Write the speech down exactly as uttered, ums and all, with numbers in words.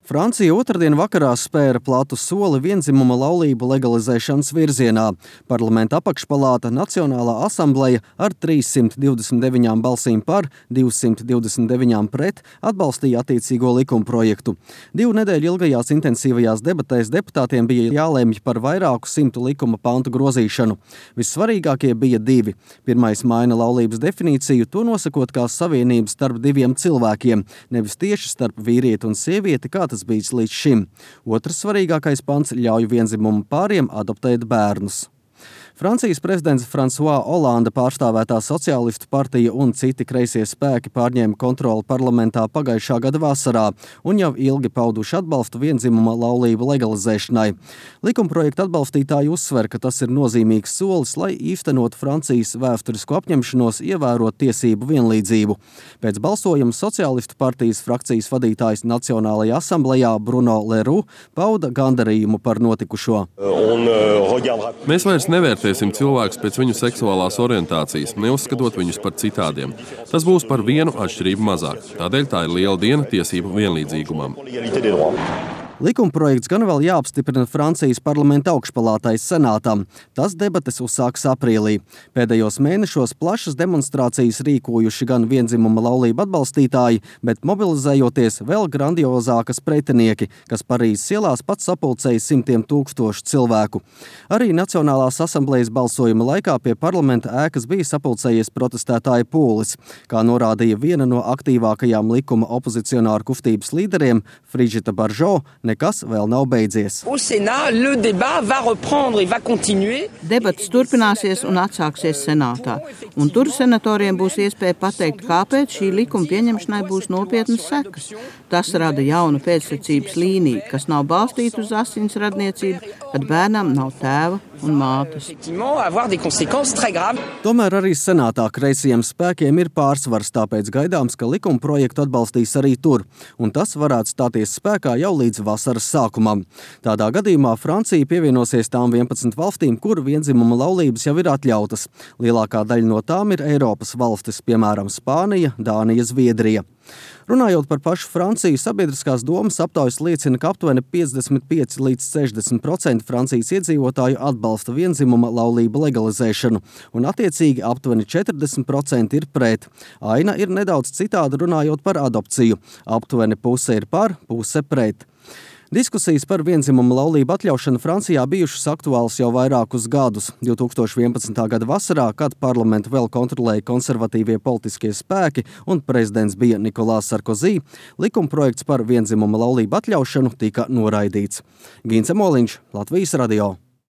Francija otrdien vakarā spēra platu soli vienzimuma laulību legalizēšanas virzienā. Parlamenta apakšpalāta Nacionālā asambleja ar trīssimt divdesmit deviņām balsīm par, divsimt divdesmit deviņām pret atbalstīja attiecīgo likumprojektu. Divu nedēļu ilgajās intensīvajās debatēs deputātiem bija jālemj par vairāku simtu likuma pantu grozīšanu. Vissvarīgākie bija divi. Pirmais maina laulības definīciju, to nosakot kā savienības starp diviem cilvēkiem, nevis tieši starp vīrieti un sievieti, kā tas bijis līdz šim. Otrs svarīgākais pants ļauj vienzimumu pāriem adoptēt bērnus. Francijas prezidents François Hollande pārstāvētā sociālistu partija un citi kreisie spēki pārņēma kontroli parlamentā pagājušā gada vasarā un jau ilgi pauduši atbalstu vienzimuma laulību legalizēšanai. Likumprojekta atbalstītāji uzsver, ka tas ir nozīmīgs solis, lai īstenotu Francijas vēsturisko apņemšanos ievērot tiesību vienlīdzību. Pēc balsojuma sociālistu partijas frakcijas vadītājs Nacionālajā asamblejā Bruno Leroux pauda gandarījumu par notikušo. Mēs vairs nevērtējam cilvēkus pēc viņu seksuālās orientācijas, neuzskatot viņus par citādiem. Tas būs par vienu atšķirību mazāk. Tādēļ tā ir liela diena tiesību vienlīdzīgumam. Likumprojekts gan vēl jāapstiprina Francijas parlamenta augšpalātai senātam. Tas debates uzsāks aprīlī. Pēdējos mēnešos plašas demonstrācijas rīkojuši gan vienzimuma laulību atbalstītāji, bet mobilizējoties vēl grandiozākas pretinieki, kas Parīzes ielās pats sapulcēja simtiem tūkstošu cilvēku. Arī Nacionālās asamblejas balsojuma laikā pie parlamenta ēkas bija sapulcējies protestētāju pūlis. Kā norādīja viena no aktīvākajām likuma opozicionāru kustības līderiem, Brigitte Bardot, nekas vēl nav beidzies. Debats turpināsies un atsāksies senātā, un tur senatoriem būs iespēja pateikt, kāpēc šī likuma pieņemšanai būs nopietnas sekas. Tas rada jaunu pēcsacības līniju, kas nav balstīta uz asins radniecību, kad bērnam nav tēva un mātes. Tomēr arī senātā kreisajiem spēkiem ir pārsvars, tāpēc gaidāms, ka likuma projektu atbalstīs arī tur, un tas varētu stāties spēkā jau līdz vasaras sākumam. Tādā gadījumā Francija pievienosies tām vienpadsmit valstīm, kur vienzimuma laulības jau ir atļautas. Lielākā daļa no tām ir Eiropas valstis, piemēram, Spānija, Dānija, Zviedrija. Runājot par pašu Franciju, sabiedriskās domas aptaujas liecina, ka aptuveni piecdesmit pieci līdz sešdesmit procenti Francijas iedzīvotāju atbalsta vienzimuma laulību legalizēšanu, un attiecīgi aptuveni četrdesmit procenti ir pret. Aina ir nedaudz citāda runājot par adopciju. Aptuveni puse ir par, puse pret. Diskusijas par vienzimuma laulību atļaušanu Francijā bijušas aktuāls jau vairākus gadus. divi tūkstoši vienpadsmitā gada vasarā, kad parlamentu vēl kontrolēja konservatīvie politiskie spēki un prezidents bija Nikolās Sarkozī, likumprojekts par vienzimuma laulību atļaušanu tika noraidīts. Gince Moliņš, Latvijas radio.